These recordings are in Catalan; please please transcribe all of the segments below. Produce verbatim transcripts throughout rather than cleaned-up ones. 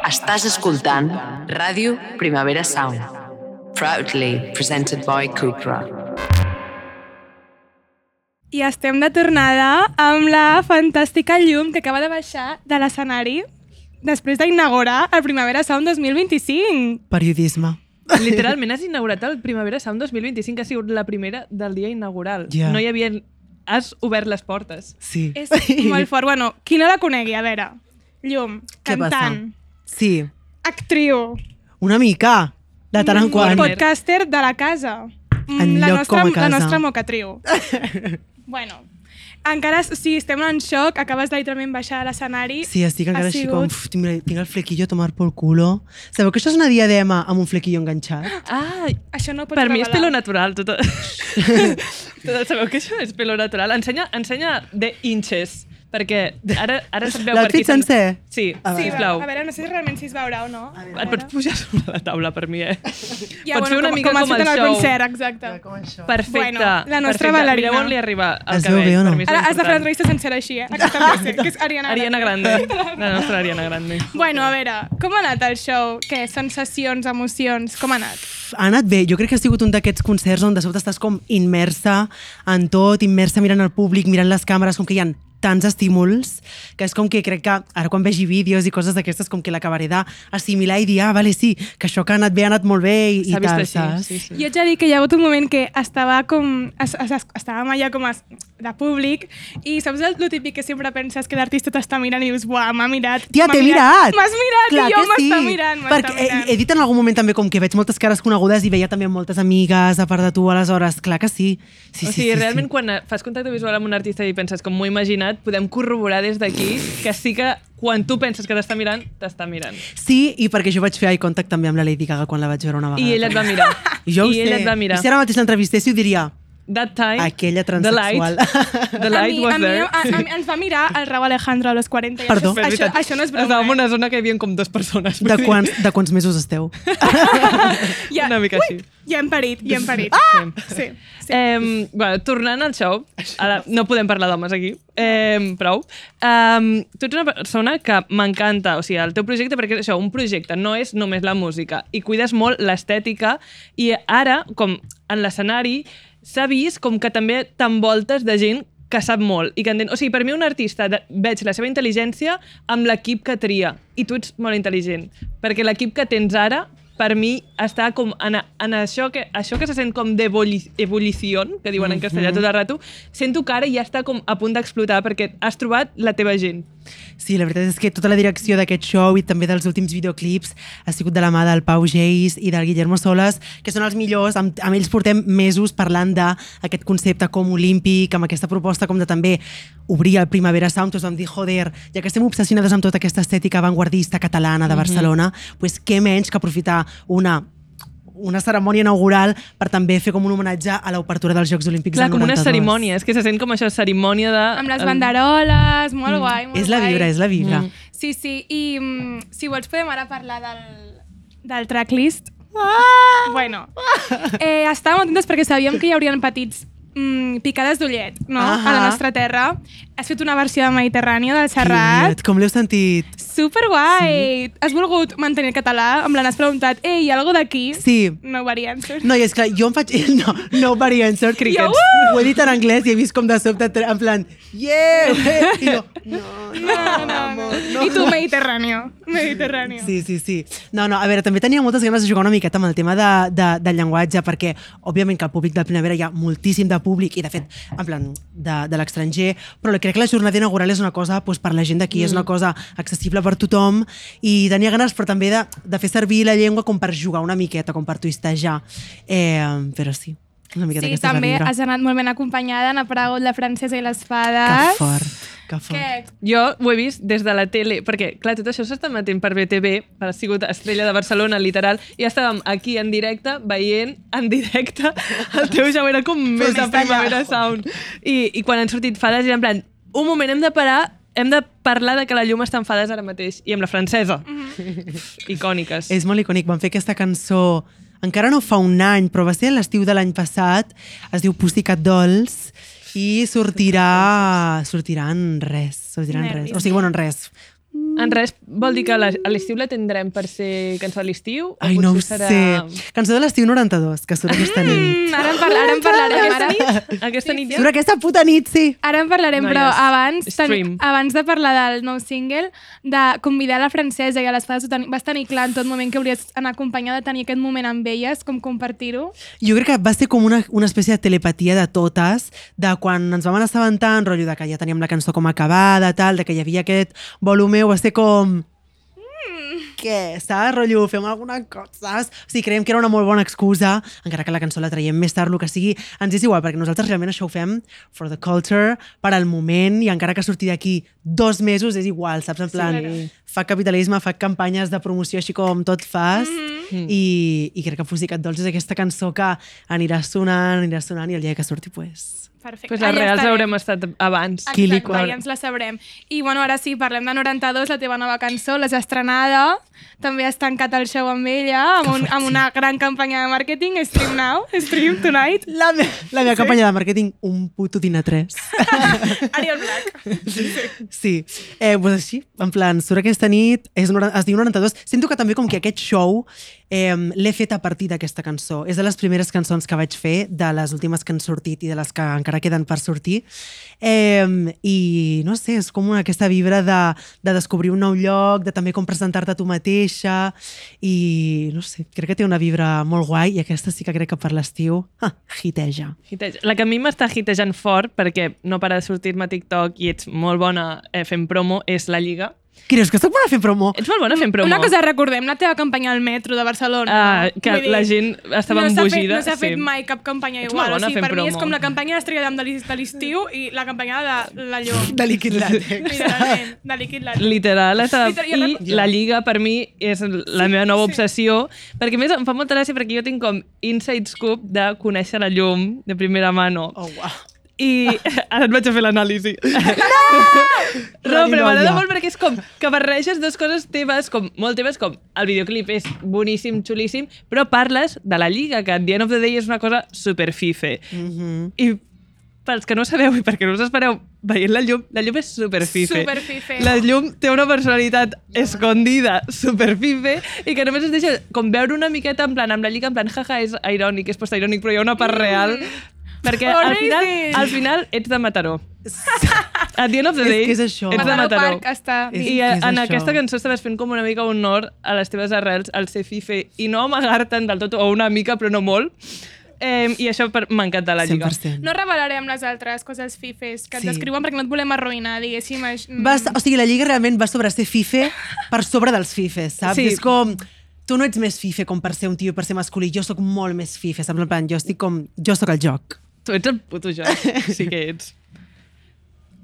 Estàs escoltant Ràdio Primavera Sound, proudly presented by Cupra. I estem de tornada amb la fantàstica llum que acaba de baixar de l'escenari després d'inaugurar el Primavera Sound dos mil vint-i-cinc. Periodisme. Literalment has inaugurat el Primavera Sound dos mil vint-i-cinc, que ha sigut la primera del dia inaugural. Yeah. No hi havia... Has obert les portes. Sí. És molt fort. Bueno, qui no la conegui, a veure. Llum, Què cantant, passa? Sí. actriu, Una mica, de tant en quant. podcaster de la casa. En la lloc nostra, com a casa. La nostra mocatriu. Bueno, encara, sí, estem en xoc, acabes de literalment baixar a l'escenari. Sí, estic encara Ha així sigut- com... Uf, tinc, tinc el flequillo a tomar pel culo. Sabeu que això és una diadema amb un flequillo enganxat? Ah, Això no ho pots per mi és revelar. pelo natural. Tot... tot sabeu que això és pelo natural? Ensenya, ensenya de inches, perquè ara, ara se't veu per aquí. L'outfit sencer? Sí, A Sí, sisplau. a veure, no sé si realment si es veurà o no. Et pots pujar sobre la taula per mi, eh? Ja, Pots fer una com, mica com, com has fet el en el show. concert, exacte. Perfecte. Bueno, la nostra perfecte. ballarina. Mireu on li arriba el Es veu cabell. bé o no? Per mi és Ara has de fer important. l'entrevista sencera així, eh? Aquesta frase, que és Ariana Grande. Ariana Grande. La nostra Ariana Grande. Bueno, a veure, com ha anat el show? Què? Sensacions, emocions, com ha anat? Ha anat bé. Jo crec que ha sigut un d'aquests concerts on de sobte estàs com immersa en tot, immersa mirant el públic, mirant les càmeres, com que hi ha tants estímuls, que és com que crec que ara quan vegi vídeos i coses d'aquestes com que l'acabaré d'assimilar i dir, ah, vale, sí, que això que ha anat bé ha anat molt bé i, S'ha i vist tal, així, saps? sí, sí. Jo ets a dir que hi ha hagut un moment que estava com... Es, es, es, estàvem allà com a, de públic i saps el, el típic que sempre penses que l'artista t'està mirant i dius, buah, m'ha mirat. Tia, m'ha t'he mirat! M'has mirat Clar i jo que m'està sí. mirant, m'està Perquè he, mirant. he dit en algun moment també com que veig moltes cares conegudes i veia també moltes amigues a part de tu, aleshores, clar que sí. Sí, O sí, sigui, sí, realment sí. quan fas contacte visual amb un artista i penses com m'ho he imaginat, podem corroborar des d'aquí que sí que quan tu penses que t'està mirant, t'està mirant. Sí, i perquè jo vaig fer eye contact també amb la Lady Gaga quan la vaig veure una vegada. I ella et va mirar. Jo ho I ella sé. et va mirar. I si ara mateix l'entrevistessi ho diria, That time, aquella the transexual. light, the A light mi, was a mi, there. a, a, mi ens va mirar el Raúl Alejandro a los quaranta. I Perdó. Això, això, això no és broma. Estàvem en Eh? una zona que hi havia com dues persones. De quants, de quants mesos esteu? Ja, Una mica així. ja hem parit, ja hem parit. Ah! Sí, sí. Eh, bueno, tornant al show, ara no podem parlar d'homes aquí, eh, prou. Eh, tu ets una persona que m'encanta, o sigui, el teu projecte, perquè és això, un projecte no és només la música, i cuides molt l'estètica, i ara, com en l'escenari, s'ha vist com que també t'envoltes de gent que sap molt i que entén... O sigui, per mi un artista de... veig la seva intel·ligència amb l'equip que tria, i tu ets molt intel·ligent, perquè l'equip que tens ara, per mi, està com en, en això, que, això que se sent com d'ebullició, que diuen en castellà tot el rato, sento que ara ja està com a punt d'explotar perquè has trobat la teva gent. Sí, la veritat és que tota la direcció d'aquest show i també dels últims videoclips ha sigut de la mà del Pau Geis i del Guillermo Solas, que són els millors. Amb, amb ells portem mesos parlant d'aquest concepte com olímpic, amb aquesta proposta com de també obrir el Primavera Sound. Tots vam dir, joder, ja que estem obsessionades amb tota aquesta estètica avantguardista catalana de Barcelona, mm-hmm. pues què menys que aprofitar una una cerimònia inaugural per també fer com un homenatge a l'obertura dels Jocs Olímpics Clar, del com una noranta-dos. cerimònia, és que se sent com això, cerimònia de... Amb les banderoles, molt guai, molt És la guai. vibra, és la vibra. Mm. Sí, sí, i mm, si vols podem ara parlar del, del tracklist. Ah! Bueno, eh, estàvem atentes perquè sabíem que hi haurien petits mm, picades d'ullet, no?, a la Ahà. nostra terra. Has fet una versió de Mediterrània del Serrat. Quiet, com l'heu sentit? Superguai! Sí. Has volgut mantenir el català? Em l'has preguntat, ei, hi ha alguna d'aquí? Sí. No variants. No, i és clar, jo em faig... No, no variant, sort crickets. Jo, uh! Ho he dit en anglès i he vist com de sobte, en plan, yeah! I jo, no, No, no, no. no. I tu, Mediterrània. Mediterrània. Sí, sí, sí. No, no, a veure, també tenia moltes ganes de jugar una miqueta amb el tema de, de, del llenguatge, perquè, òbviament, que al públic del Primavera hi ha moltíssim de públic, i de fet, en plan, de, de l'estranger, però crec que la jornada inaugural és una cosa doncs, per la gent d'aquí, mm. és una cosa accessible per tothom, i tenia ganes, però també de, de fer servir la llengua com per jugar una miqueta, com per twistejar. Eh, però sí, una miqueta Sí, aquesta també és la vibra. has anat molt ben acompanyada, han aparegut la francesa i les Que fades. fort, que fort. Què? Jo ho he vist des de la tele, perquè, clar, tot això s'està emetent per B T V, ha sigut Estrella de Barcelona, literal, i estàvem aquí en directe, veient en directe el teu show, era com més de Primavera Sound. I, I quan han sortit fades, era en plan, un moment, hem de parar, hem de parlar de que la llum està en fades ara mateix, i amb la francesa. Mm-hmm. Icòniques. És molt icònic, van fer aquesta cançó encara no fa un any, però va ser l'estiu de l'any passat, es diu Pussycat Dolls, i sortirà sortirà en res, sortirà en res. Nervis. O sigui, bueno, en res. En res, vol dir que a la- a l'estiu la tindrem per ser cançó de l'estiu? o Ai, no ho potser serà... sé. Cançó de l'estiu noranta-dos, que surt aquesta nit. Mm, ara, en parla, ara en parlarem. Aquesta Ara, nit? Aquesta nit ja? Surt aquesta puta nit, sí. ara en parlarem, Noies, però abans, stream. ten, abans de parlar del nou single, de convidar la Francesa i a les Fades, vas tenir clar en tot moment que hauries d'anar acompanyada, de tenir aquest moment amb elles, com compartir-ho. Jo crec que va ser com una, una espècie de telepatia de totes, de quan ens vam assabentar, en rotllo de que ja teníem la cançó com acabada, tal, de que hi havia aquest volum meu, va ser com... Què? Saps? Rotllo, fem alguna cosa, saps? O sigui, creiem que era una molt bona excusa, encara que la cançó la traiem més tard, el que sigui, ens és igual, perquè nosaltres realment això ho fem for the culture, per al moment, i encara que surti d'aquí dos mesos és igual, saps? En plan, Sí. fa capitalisme, fa campanyes de promoció així com tot fas, Mm. i, i crec que Fusicat Dolç és aquesta cançó que anirà sonant, anirà sonant, i el dia que surti, pues... Perfecte. Pues les Allà reals estarem. haurem estat abans. Kili Exacte, Quar. ja ens la sabrem. I bueno, ara sí, parlem de noranta-dos, la teva nova cançó, l'has estrenada, també has tancat el show amb ella, amb, un, amb una gran campanya de màrqueting, Stream Now, Stream Tonight, La, me la meva sí? campanya de màrqueting, un puto Tina tres. Ariel Black. Sí, eh, pues així, en plan, surt aquesta nit, és, nora- es diu noranta-dos. Sento que també com que aquest show eh, l'he fet a partir d'aquesta cançó. És de les primeres cançons que vaig fer, de les últimes que han sortit i de les que encara queden per sortir. Eh, I no sé, és com una, aquesta vibra de, de descobrir un nou lloc, de també com presentar-te a tu mateixa, i no sé, crec que té una vibra molt guai, i aquesta sí que crec que per l'estiu, ah, hiteja. Hiteja. La que a mi m'està hitejant fort, perquè no para de sortir-me a TikTok i ets molt bona eh, fent promo, és La Lliga. Creus que soc bona fent promo? Ets molt bona fent promo. Una cosa, recordem la teva campanya al metro de Barcelona. Ah, no? que Vull dir, la gent estava no s'ha fet- embogida. No s'ha fet sí. mai cap campanya Ets igual. molt O bona sigui, fent per mi és promo. com la campanya d'Estrella d'Am de l'es- de l'estiu i la campanya de la llum. De líquid làtex. Literalment, de líquid làtex. Literal, estava... Literal, jo i recordo- la Lliga per mi és la meva nova obsessió, perquè a més em fa molta gràcia perquè jo tinc com inside scoop de conèixer la llum de primera mano. Oh, uau. I ara et vaig a fer l'anàlisi. No! No, però m'agrada molt perquè és com que barreges dues coses teves, com molt teves, com el videoclip és boníssim, xulíssim, però parles de la Lliga, que at the end of the day és una cosa super fife. Mhm. I pels que no sabeu i perquè no us espereu veient la llum, la llum és super fife. Super fife. La llum té una personalitat escondida, super fife, i que només es deixa com veure una miqueta en plan, amb la Lliga, en plan, jaja, és irònic, és postirònic, però hi ha una part real, perquè al final, Amazing. al final ets de Mataró. At the end of the És day, que és això. ets de Mataró Mataró. Park està... És- I és en això. aquesta cançó estaves fent com una mica honor a les teves arrels, al ser fife, i no amagar-te'n del tot, o una mica, però no molt. Eh, I això per- m'encanta la cent Lliga. per cent. No revelarem les altres coses fifes que ens Sí. escriuen perquè no et volem arruïnar, diguéssim. Aix- Va, o sigui, la Lliga realment va sobre ser fife per sobre dels fifes, saps? Sí. És com... Tu no ets més fife com per ser un tio i per ser masculí, jo sóc molt més fife, saps? En plan, jo estic com... Jo sóc el joc. Tu ets el puto joc, sí que ets.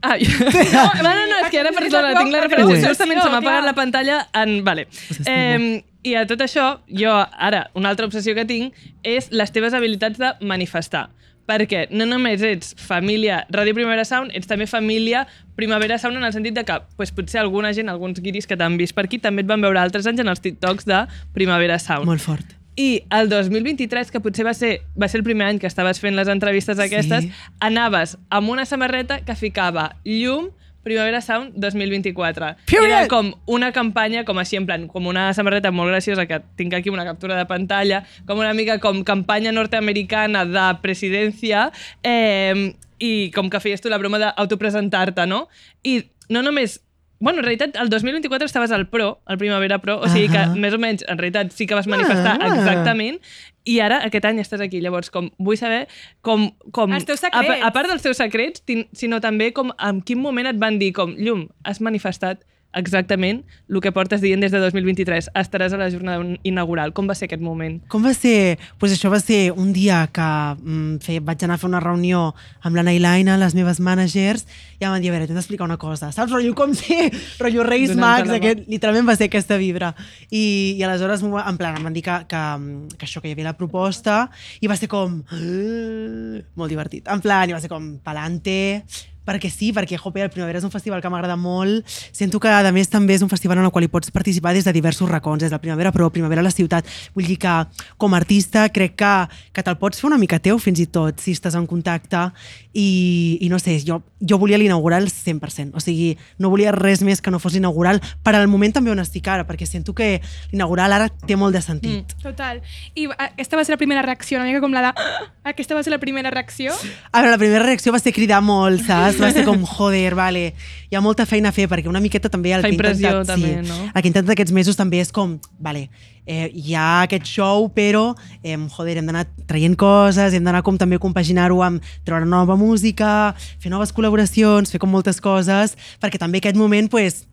Ah, jo... no, no, no, és que ara, perdona, tinc la Ho referència. és. Justament se m'ha apagat Clar. la pantalla en... Vale. estimo. Eh, I a tot això, jo ara, una altra obsessió que tinc és les teves habilitats de manifestar. Perquè no només ets família Ràdio Primavera Sound, ets també família Primavera Sound en el sentit de que pues, potser alguna gent, alguns guiris que t'han vist per aquí, també et van veure altres anys en els TikToks de Primavera Sound. Molt fort. I el dos mil vint-i-tres, que potser va ser, va ser el primer any que estaves fent les entrevistes aquestes, Sí. anaves amb una samarreta que ficava llum Primavera Sound dos mil vint-i-quatre. Period! Era com una campanya, com així, en plan, com una samarreta molt graciosa, que tinc aquí una captura de pantalla, com una mica com campanya nord-americana de presidència, eh, i com que feies tu la broma d'autopresentar-te, no? I no només... Bueno, en realitat, el dos mil vint-i-quatre estaves al Pro, al Primavera Pro, o sigui que Ahà. més o menys, en realitat, sí que vas manifestar Ah. exactament, i ara, aquest any, estàs aquí. Llavors, com vull saber com... com Els teus a, secrets. a part dels teus secrets, tin- sinó també com en quin moment et van dir com, Llum, has manifestat exactament el que portes dient des de dos mil vint-i-tres. Estaràs a la jornada inaugural. Com va ser aquest moment? Com va ser? Pues això va ser un dia que mm, fe, vaig anar a fer una reunió amb la Nailaina, les meves managers, i em van dir, a veure, t'he d'explicar una cosa. Saps? Rotllo com si, rotllo Reis Donant-te Mags, la mà. aquest, literalment va ser aquesta vibra. I, i aleshores, m'ho va- en plan, em van dir que, que, que això, que hi havia la proposta, i va ser com... molt divertit. En plan, i va ser com, palante, perquè sí, perquè jope, el Primavera és un festival que m'agrada molt. Sento que, a més, també és un festival en el qual hi pots participar des de diversos racons, des del Primavera Pro, Primavera a la ciutat. Vull dir que, com a artista, crec que, que te'l pots fer una mica teu, fins i tot, si estàs en contacte. I, i no sé, jo, jo volia l'inaugural cent per cent. O sigui, no volia res més que no fos l'inaugural, per al moment també on estic ara, perquè sento que l'inaugural ara té molt de sentit. Mm. Total. I aquesta va ser la primera reacció, una mica com la de... Aquesta va ser la primera reacció? A veure, la primera reacció va ser cridar molt, saps? Va ser com, joder, vale, hi ha molta feina a fer, perquè una miqueta també el Fa que he impressió, intentat... també, sí, no? El que he intentat aquests mesos també és com, vale, eh, hi ha aquest show, però, eh, joder, hem d'anar traient coses, hem d'anar com també compaginar-ho amb treure nova música, fer noves col·laboracions, fer com moltes coses, perquè també aquest moment, pues,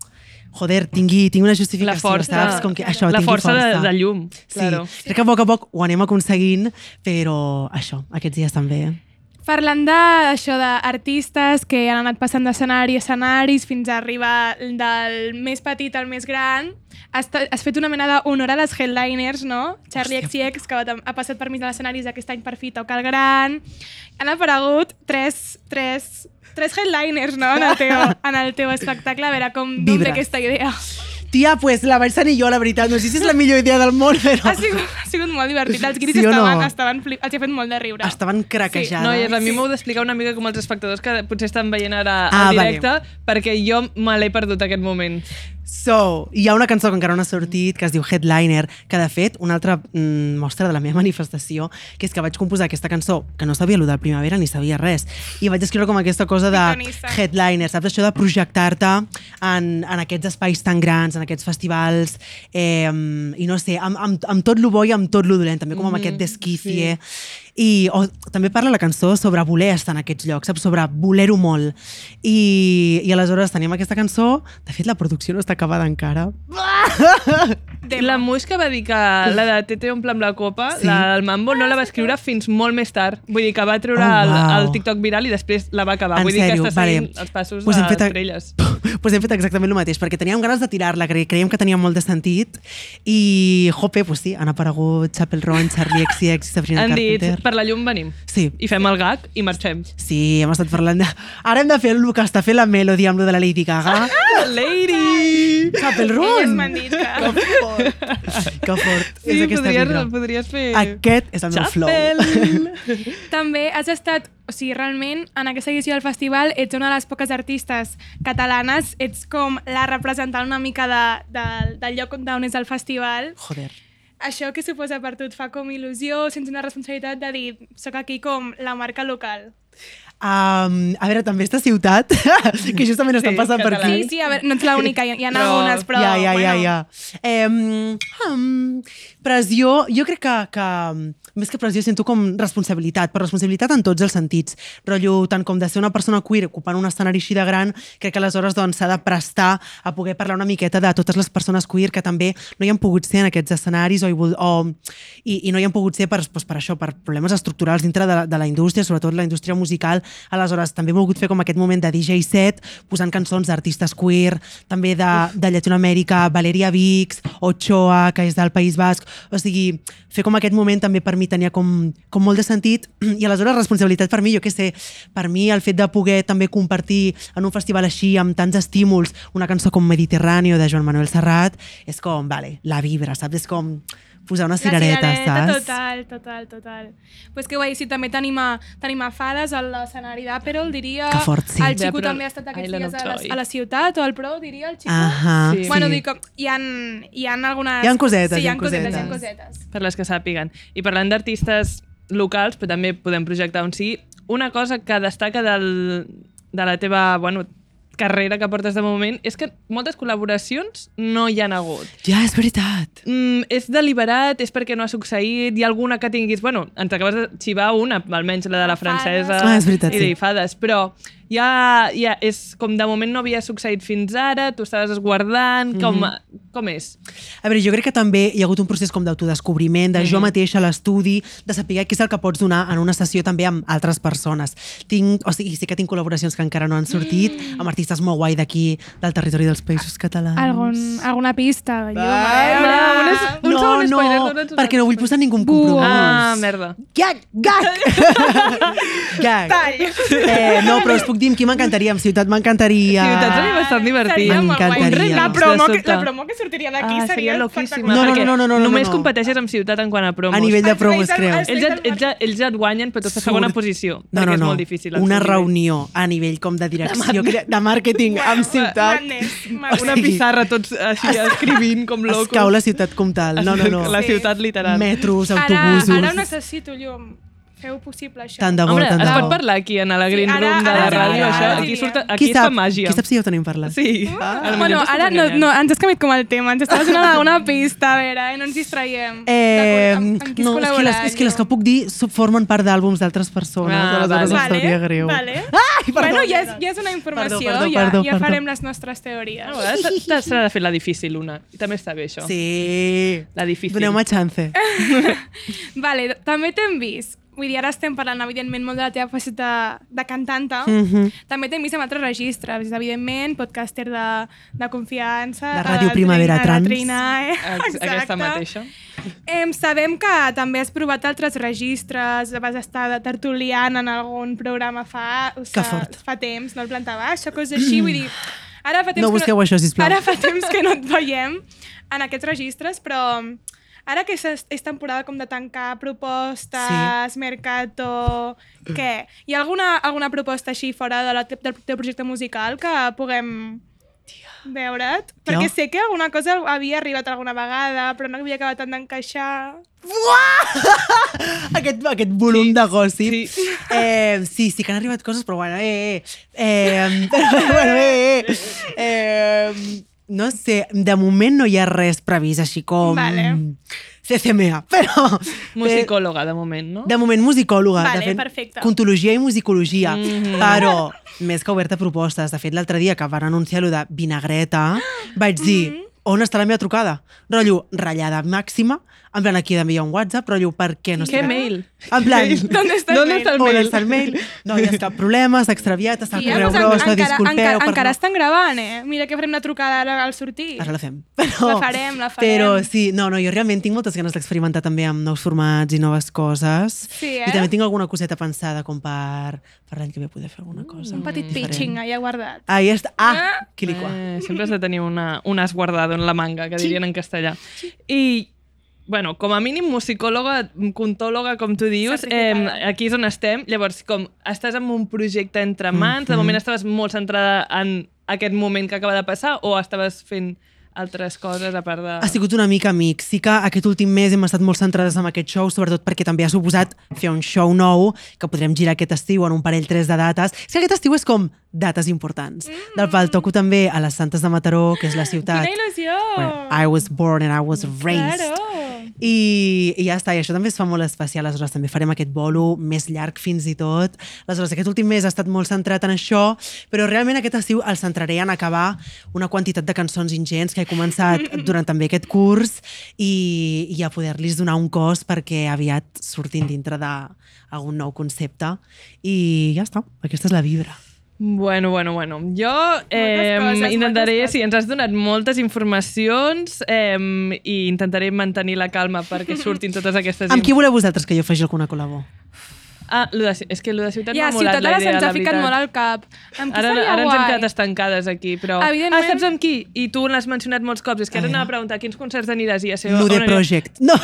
joder, tingui, tingui una justificació, la força, saps? Com que això, la tingui força, força. De, de llum, claro. Sí, crec que a poc a poc ho anem aconseguint, però això, aquests dies també. Parlant d'això d'artistes que han anat passant d'escenari a escenaris fins a arribar del més petit al més gran, has, has fet una mena d'honor a les headliners, no? Charlie X C X, que ha, ha passat per mig de l'escenaris aquest any per fi toca el gran. Han aparegut tres, tres, tres headliners, no?, en el teu, en el teu espectacle. A veure, com d'on ve aquesta idea? Tia, pues la vaig tenir jo, la veritat. No sé si és la millor idea del món, però... Ha sigut, ha sigut molt divertit. Els guiris Sí o no? estaven, estaven flip... Els ha fet molt de riure. Estaven craquejades. No, i a mi m'heu d'explicar una mica com els espectadors que potser estan veient ara Ah, en directe, vale. perquè jo me l'he perdut aquest moment. So, hi ha una cançó que encara no ha sortit, que es diu Headliner, que de fet, una altra mm, mostra de la meva manifestació, que és que vaig composar aquesta cançó, que no sabia allò del Primavera ni sabia res, i vaig escriure com aquesta cosa de Pitonista. headliner, saps? Això de projectar-te en, en aquests espais tan grans, en aquests festivals, eh, i no sé, amb, amb, amb tot lo bo i amb tot lo dolent, també com amb aquest desquície. Sí. I o, també parla la cançó sobre voler estar en aquests llocs, saps? Sobre voler-ho molt. I, I aleshores tenim aquesta cançó, de fet la producció no està acabada encara. De la Muix que va dir que la de Tete omple amb la copa, Sí. la del Mambo, no la va escriure fins molt més tard. Vull dir que va treure Oh, el, wow. el TikTok viral i després la va acabar. En Vull dir sèrio? que està seguint Vale. els passos Pues hem de fet a- estrelles. pues hem fet exactament el mateix, perquè teníem ganes de tirar-la, cre creiem que tenia molt de sentit, i, jope, pues sí, han aparegut Chapel Ron, Charlie X C X i Sabrina Han dit, Carpenter. per la llum venim. Sí. I fem el gag i marxem. Sí, hem estat parlant de... Ara hem de fer el que està fent la Melody amb lo de la Lady Gaga. Lady! Chapel Elles Ron! m'han dit que... Que fort! Que fort! Sí, és aquesta podries, vibra. podries fer... Aquest és el meu flow. Chapel! També has estat, o sigui, realment, en aquesta edició del festival ets una de les poques artistes catalanes, ets com la representant una mica de, de, del lloc on és el festival. Joder. Això que suposa per tu et fa com il·lusió, sents una responsabilitat de dir, soc aquí com la marca local. Um, a veure, també esta ciutat, que justament estan Sí, passant per català. aquí. Sí, sí, a veure, no ets l'única, hi, hi ha Però- algunes, però... ja, ja, ja, bueno, ja. Eh, um, pressió, jo crec que, que més que pressió sento com responsabilitat, però responsabilitat en tots els sentits. Rotllo, tant com de ser una persona queer ocupant un escenari així de gran, crec que aleshores doncs, s'ha de prestar a poder parlar una miqueta de totes les persones queer que també no hi han pogut ser en aquests escenaris o, hi vol- o, i, i no hi han pogut ser per, doncs, per això, per problemes estructurals dintre de, de la indústria, sobretot la indústria musical. Aleshores, també he volgut fer com aquest moment de D J set, posant cançons d'artistes queer, també de, de Llatinoamèrica, Valeria Vix, Ochoa, que és del País Basc. O sigui, fer com aquest moment també per mi tenia com, com molt de sentit, i aleshores responsabilitat per mi, jo què sé, per mi el fet de poder també compartir en un festival així amb tants estímuls una cançó com Mediterráneo de Joan Manuel Serrat és com, vale, la vibra, saps? És com posar una la cirereta, cirereta, saps? total, total, total. Pues que guai, sí, també tenim a, tenim a Fades a l'escenari d'Aperol, diria. Que fort, sí. El Xico D'Aperol també ha estat aquests Island dies of a la, Joy. a la ciutat, o al Pro, diria, el Xico. Ahà, Sí. sí. Bueno, dic, com, hi ha, hi ha algunes... Hi ha cosetes, sí, hi hi ha ha cosetes, hi ha cosetes. cosetes. Per les que sàpiguen. I parlant d'artistes locals, però també podem projectar on sigui, una cosa que destaca del, de la teva, bueno, carrera que portes de moment és que moltes col·laboracions no hi han hagut. Ja, és veritat. Mm, és deliberat, és perquè no ha succeït, hi ha alguna que tinguis... Bueno, ens acabes de xivar una, almenys la de la francesa Ah, és veritat, i de sí. Fades, però ja, ja és com de moment no havia succeït fins ara, tu estaves esguardant, com, Mhm. com és? A veure, jo crec que també hi ha hagut un procés com d'autodescobriment, de jo mateixa a l'estudi, de saber què és el que pots donar en una sessió també amb altres persones. Tinc, o sigui, sí que tinc col·laboracions que encara no han sortit, amb artistes molt guai d'aquí, del territori dels Països Catalans. Algun, alguna pista? Jo, Va, una, una segon, és, un no, segon no, spoiler. dona'ns un perquè no vull spoiler. posar ningú compromís. Ah, merda. Gag! Gag! Gag. Eh, no, però us puc dir amb qui m'encantaria. Amb Ciutat m'encantaria. Ciutat seria bastant divertit. Seria molt guai. M'encantaria. La promo, De que, sobte. la promo que sortiria d'aquí Ah, seria seria loquíssima. No, no, perquè no, no, no, no, només no. competeixes amb Ciutat en quant a promos. A nivell de Els promos, reis del- creus? els Ells, et, ells, et- ells et guanyen, però tu estàs a segona Surt. posició. No, perquè no, és no. molt difícil. el Una seu nivell. reunió a nivell com de direcció, crea- de màrqueting amb Ciutat. Madness, Una madness. sigui, pissarra tots així escrivint com Es locos. cau la ciutat com tal. No, no, no. La ciutat literal. Metros, Ara, autobusos. ara ho necessito, llum. Feu possible això. Tant de bo, Home, tant es de pot bo. parlar aquí en la green Sí, ara- room de ara la sí, ràdio, ara això? sí. Aquí, surt, Qui aquí es fa sap, màgia. qui sap si ja ho tenim parlat? Sí. Ah. A lo Bueno, millor ara t'estàs no, enganyant. no, ens has canviat com el tema, ens estàs donant alguna pista, a veure, eh? no ens distraiem. Eh, D'acord, amb, amb qui no, és que, les, és que les que puc dir so- formen part d'àlbums d'altres persones. Ah, aleshores vale. em sabria greu. Vale. Ai, perdó. Bueno, ja és, ja és una informació, Perdó, perdó, ja, perdó, ja perdó. farem les nostres teories. A vegades s'ha- s'ha de fer la difícil, una. I també està bé, això. Sí. La difícil. Doneu-me chance. Vale, també t'hem vist. Vull dir, ara estem parlant, evidentment, molt de la teva faceta de cantanta. Mhm. També t'hem vist en altres registres, evidentment, podcaster de, de confiança. La Ràdio a Primavera Trina- a Trans. La Trina, eh? Ex- Aquesta Exacte. mateixa. Em, sabem que també has provat altres registres, vas estar de tertuliana en algun programa fa, o Que sigui, fort. fa temps, no el planta baixa, coses així, vull dir... Ara fa temps No que busqueu això, sisplau. Ara fa temps que no et veiem en aquests registres, però ara que és, és temporada com de tancar propostes, sí. mercato... Què? Hi ha alguna, alguna proposta així fora de la, del teu projecte musical que puguem veure't? Perquè Jo? sé que alguna cosa havia arribat alguna vegada, però no havia acabat tant d'encaixar. aquest, aquest volum de gossip. Sí. Eh, sí, sí que han arribat coses, però bueno, eh, eh, eh, però, bueno, eh, eh, eh, no sé, de moment no hi ha res previst així com Vale. C C M A, però... Musicòloga, de moment, no? De moment musicòloga. Vale, de fet, perfecte. Contologia i musicologia. Mhm. Però més que oberta a propostes. De fet, l'altre dia que van anunciar allò de vinagreta, vaig dir, on està la meva trucada? Rotllo, ratllada màxima, en plan, aquí he d'enviar un WhatsApp, rotllo, per què no Què estic... mail? En plan, ¿Dónde está el ¿Dónde mail? está el on mail? està el mail? No hi ha cap problema, s'ha extraviat, està el Sí, correu doncs, brossa, encara, disculpeu. encara, per encara no- estan gravant, eh? Mira que farem la trucada ara al sortir. Ara la fem. Però, La farem, la farem. Però sí, no, no, jo realment tinc moltes ganes d'experimentar també amb nous formats i noves coses. Sí, eh? I també tinc alguna coseta pensada com per, per l'any que ve poder fer alguna cosa. Un petit diferent. pitching allà guardat. Ah, ja està. Ah, quilicua. Eh, sempre has de tenir una, un as guardado en la manga, que dirien en castellà. I, bueno, com a mínim musicòloga, contòloga, com tu dius, eh, Certificada. aquí és on estem. Llavors, com estàs en un projecte entre mans, de Mhm. moment estaves molt centrada en aquest moment que acaba de passar o estaves fent altres coses a part de... Ha sigut una mica amic. Sí que aquest últim mes hem estat molt centrades en aquest show, sobretot perquè també ha suposat fer un show nou que podrem girar aquest estiu en un parell tres de dates. És que aquest estiu és com dates importants. Mm. Del pal toco també a les Santes de Mataró, que és la ciutat Quina il·lusió! where I was born and I was raised. Claro! I, I ja està, i això també es fa molt especial. Aleshores també farem aquest bolo més llarg fins i tot. Aleshores aquest últim mes ha estat molt centrat en això, però realment aquest estiu el centraré en acabar una quantitat de cançons ingents que he començat durant també aquest curs i, i a poder-los donar un cos perquè aviat surtin dintre d'algun nou concepte. I ja està, aquesta és la vibra. Bueno, bueno, bueno. Jo eh, coses, intentaré, moltes sí, ens has donat moltes informacions eh, i intentaré mantenir la calma perquè surtin totes aquestes... Amb qui voleu vosaltres que jo faci alguna col·labo? Ah, lo de, és que lo de ciutat Ja, m'ha molat Ciutat la ara idea, se'ns la ha ficat veritat. molt al cap. Amb qui Ara, seria ara ens hem guai? quedat estancades aquí, però... Evidentment. Ah, saps amb qui? I tu l'has mencionat molts cops. És que ara A anava a veure. preguntar a quins concerts aniràs i ja sé... Nude on aniràs. Project. No,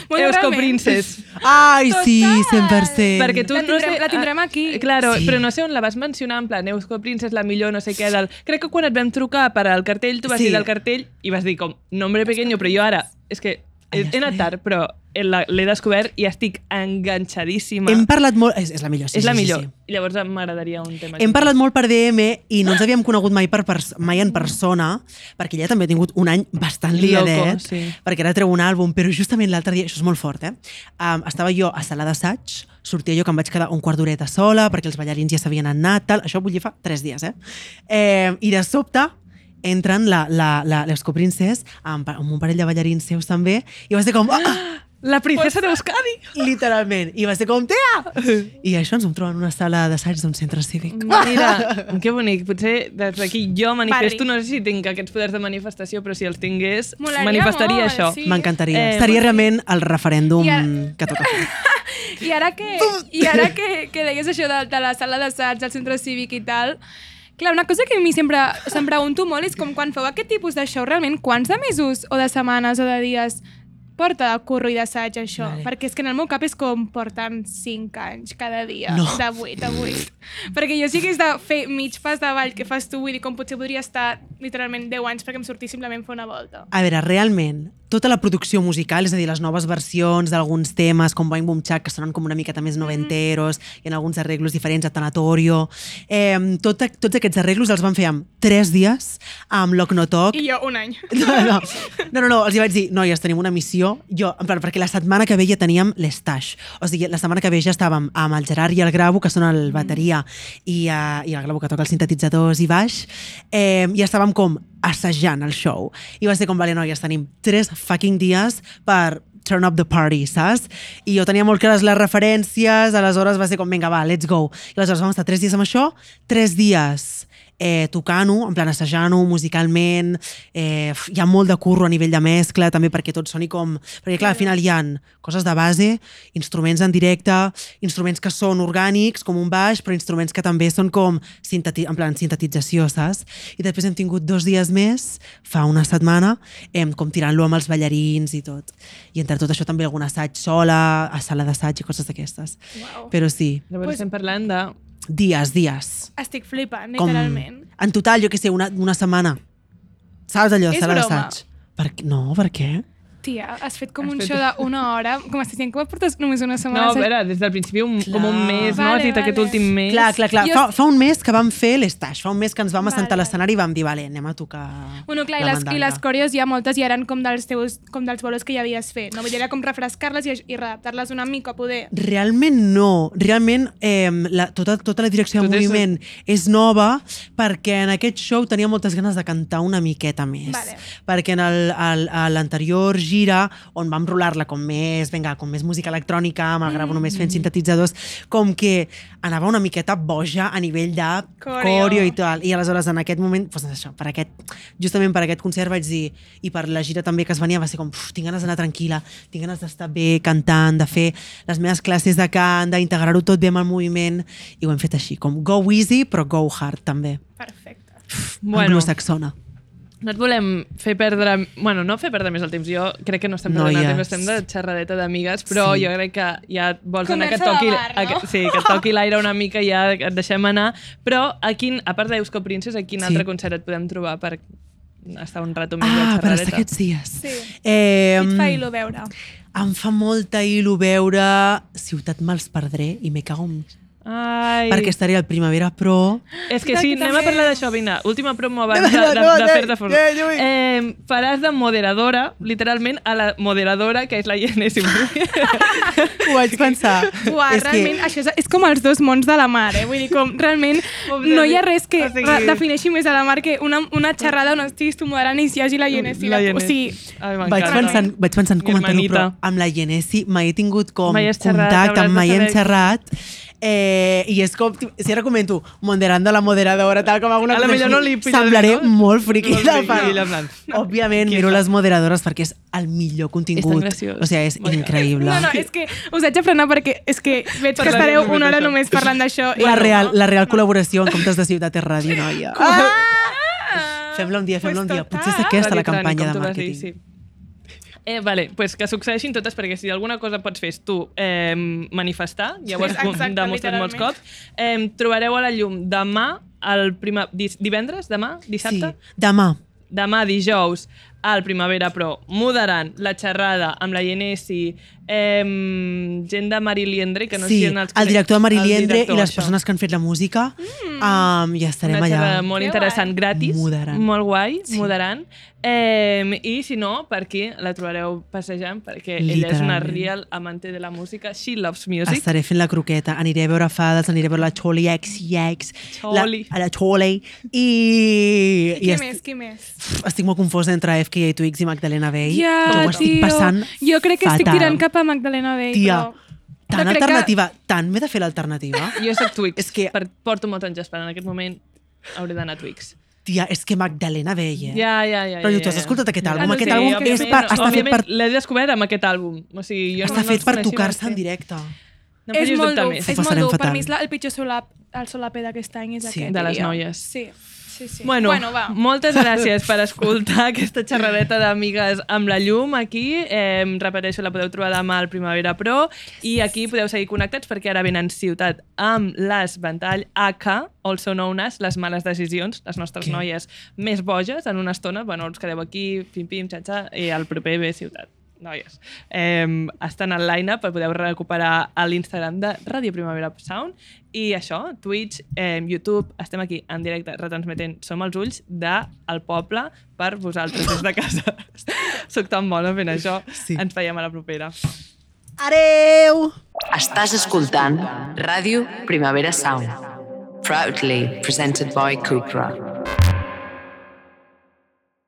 Bueno, Eusko realment. Princess. ai, sí, Total. cent per cent. Perquè tu La no tindrem- sé, la tindrem ah, aquí. Claro, Sí. però no sé on la vas mencionar, en plan, Eusko Princess, la millor, no sé què, del... Crec que quan et vam trucar per al cartell, tu vas Sí. dir del cartell i vas dir com, nombre pequeño, però jo ara, és que he, he anat tard, però la- l'he descobert i estic enganxadíssima. Hem parlat molt... És, és la millor, sí, és la sí, sí, millor. sí. I llavors m'agradaria un tema. Hem parlat molt per D M i no ens havíem conegut mai, per pers mai en persona, perquè ella també ha tingut un any bastant liadet, Loco, sí. perquè ara treu un àlbum, però justament l'altre dia, això és molt fort, eh? Um, estava jo a sala d'assaig, sortia jo que em vaig quedar un quart d'horeta sola, perquè els ballarins ja s'havien anat, tal. Això vull dir fa tres dies, eh? eh I de sobte entren la, la, la, l'Eusko Princess amb, amb un parell de ballarins seus també, i va ser com... Ah, La princesa d'Euskadi. Literalment. I va ser com, tia! I això ens vam trobar en una sala d'assaig d'un centre cívic. Mira, que bonic. Potser des d'aquí jo manifesto, Barri. no sé si tinc aquests poders de manifestació, però si els tingués, Molaria manifestaria molt, això. sí. M'encantaria. Eh, Estaria realment el referèndum I ara- que toca fer. I ara que, i ara que, que deies això de, de la sala d'assaig, del centre cívic i tal, clar, una cosa que a mi sempre se'm pregunto molt és com quan feu aquest tipus de show, realment, quants de mesos o de setmanes o de dies porta de curro i d'assaig això? Vale. Perquè és que en el meu cap és com porten cinc anys cada dia, No. de vuit a vuit. Perquè jo sí que és de fer mig pas de ball que fas tu, vull dir, com potser podria estar literalment deu anys perquè em sortís simplement fer una volta. A veure, realment, tota la producció musical, és a dir, les noves versions d'alguns temes, com Boing Boom Chac, que sonen com una miqueta més noventeros, mm. i en alguns arreglos diferents, a Tanatorio, eh, tot, tots aquests arreglos els van fer en tres dies, amb Lock No Talk. I jo un any. No, no, no, no, no, els hi vaig dir, noies, tenim una missió, jo, en plan, perquè la setmana que ve ja teníem l'estash, o sigui, la setmana que ve ja estàvem amb el Gerard i el Gravo, que són el bateria, mm. i, uh, i el Gravo que toca els sintetitzadors i baix, eh, i estàvem com assajant el show. I va ser com, vale, noies, tenim tres fucking dies per turn up the party, saps? I jo tenia molt clares les referències, aleshores va ser com, vinga, va, let's go. I aleshores vam estar tres dies amb això, tres dies eh, tocant-ho, en plan assajant-ho musicalment, eh, hi ha molt de curro a nivell de mescla, també perquè tot soni com... Perquè clar, al final hi ha coses de base, instruments en directe, instruments que són orgànics, com un baix, però instruments que també són com sinteti en plan sintetització, saps? I després hem tingut dos dies més, fa una setmana, eh, com tirant-lo amb els ballarins i tot. I entre tot això també algun assaig sola, a sala d'assaig i coses d'aquestes. Uau. Però sí, Llavors Pues- estem parlant de... dies, dies. Estic flipant, Com, literalment. en total, jo què sé, una, una setmana. Saps allò, És sala broma. d'assaig? Per, què- no, per què? Tia, has fet com Has un fet- show d'una hora, com estàs dient que ho portes només una No, setmana. a veure, des del principi un, com un mes, no? Vale, Has dit aquest vale. últim mes. Clar, clar, clar. Jo- Fa, fa un mes que vam fer l'estaix, fa un mes que ens vam Vale, assentar a vale. l'escenari i vam dir, vale, anem a tocar Bueno, clar, i la les, i mandanga. les coreos ja moltes ja eren com dels teus, com dels bolos que ja havies fet. No? Vull dir, era com refrescar-les i, i redactar-les una mica, poder. Realment no. Realment eh, la, tota, tota la direcció de Tot és- moviment és nova perquè en aquest show tenia moltes ganes de cantar una miqueta més. Vale. Perquè en el- el- a l'anterior gira, on vam rolar-la com més, vinga, com més música electrònica, amb el Gravo només fent sintetitzadors, com que anava una miqueta boja a nivell de Coreo. coreo i tal. I aleshores en aquest moment, doncs això, per aquest, justament per aquest concert vaig dir, i per la gira també que es venia, va ser com, uf, tinc ganes d'anar tranquil·la, tinc ganes d'estar bé cantant, de fer les meves classes de cant, d'integrar-ho tot bé amb el moviment, i ho hem fet així, com go easy, però go hard també. Perfecte. Bueno, Anglosaxona. no et volem fer perdre... Bueno, no fer perdre més el temps. Jo crec que no estem perdent el Noies. temps, estem de xerradeta d'amigues, però Sí. jo crec que ja vols anar que et Conversa de toqui, bar, no? a que, sí, que et toqui l'aire una mica i ja et deixem anar. Però, a, quin, a part d'Eusko Princess, a quin Sí. altre concert et podem trobar per estar un rato més Ah, de per xerradeta? estar aquests dies. Sí. Eh, I et fa il·lo veure. em fa molta il·lo veure Ciutat me'ls perdré i me cago en... Ai. Perquè estaré al Primavera Pro. És que Aquí sí, anem a també. parlar d'això, vinga. Última promo abans No, de, de, no, de no, fer-te fora. no, no, no. Eh, faràs de moderadora, literalment, a la moderadora, que és la Yenesi. Ho vaig pensar. Uah, És que- realment, això és, és com els dos mons de la mar, eh? Vull dir, com realment no hi ha res que O sigui- re- defineixi més a la mar que una, una xerrada on estiguis tu moderant i hi hagi la Genesi. La La, o Yenesi. sigui, Ai, Vaig m'encanta. pensant, vaig pensant Mi comentar-ho, però hermanita. amb la Genesi mai he tingut com Mai has xerrat, contacte, hauràs de mai hem saber. xerrat. Eh, I és com, si ara comento, moderando la moderadora, tal com alguna A la cosa millor així, no li pillaré, semblaré no? molt friqui. Molt de friqui, part. en plan, Òbviament, qui miro és? les moderadores perquè és el millor És contingut. tan graciós. O sigui, és M'encanta. increïble. no, no, és que us haig de frenar perquè és que veig que Parlarem estareu només una hora d'això. només parlant d'això. i La no. real, la real col·laboració en comptes de Ciutat és Ràdio, noia. Ah! Fem-la un dia, fem-la un Pues dia. total. Potser és aquesta la Radio Trani, campanya com de tu vas dir, màrqueting. sí. Eh, vale, pues que succeeixin totes, perquè si alguna cosa pots fer és tu eh, manifestar, ja ho has Exacte, demostrat molts literalment. cops. Eh, trobareu a la llum demà, el prima, dis, divendres, demà, dissabte? Sí, demà. Demà, dijous, al Primavera Pro, moderant la xerrada amb la Yenesi, eh, gent de Mariliendre, que no Sí, sé si en els el director de el Mariliendre director, i les això. persones que han fet la música. Um, ja estarem Una allà. xerrada molt Que interessant, guai. gratis, Moderant. molt guai, Sí. moderant. Eh, I si no, per aquí la trobareu passejant, perquè ella és una Literalment. real amante de la música. She loves music. Estaré fent la croqueta, aniré a veure fades, aniré a veure la Choli X X, la, Choli. a la Choli, i... I qui est- més, qui més? Estic molt confosa entre F K A Twigs i Magdalena Bay, Ja, jo ho estic tio. passant Jo crec que estic fatal. tirant cap a Magdalena Bay, Tia, però... tan però crec que- alternativa, tant m'he de fer l'alternativa. Jo soc Twix, És que- per, porto molts anys esperant. En aquest moment hauré d'anar a Twix. Tia, és que Magdalena Bay, eh? Ja, ja, ja. Però ja, tu has ja. escoltat aquest Ja, àlbum? no, Aquest sí, àlbum òbviament, és per- està fet òbviament per- l'he descobert amb aquest àlbum. O sigui, jo Està no, fet no per els coneixia tocar-se abans. en directe. No em és facis molt dubtar dur, més. és Ho molt passarem dur. Per fatal. mi és la, el pitjor solap, el solape d'aquest any és Sí. aquest. De les diria. noies. Sí, sí, sí. Bueno, bueno va. moltes gràcies per escoltar aquesta xerradeta d'amigues amb la llum aquí. Eh, repeteixo, la podeu trobar demà al Primavera Pro i aquí podeu seguir connectats perquè ara venen Ciutat amb les Ventall A K, also known as les males decisions, les nostres Què? noies més boges en una estona. Bueno, us quedeu aquí, pim-pim, xa-xa, i el proper ve Ciutat. Noies, eh, estan al line-up, podeu recuperar a l'Instagram de Ràdio Primavera Sound i això, Twitch, eh, YouTube, estem aquí en directe retransmetent Som els ulls del poble per vosaltres des de casa. Soc tan bona fent això. Sí. Ens veiem a la propera. Adeu! Estàs escoltant Ràdio Primavera Sound. Proudly presented by Cupra.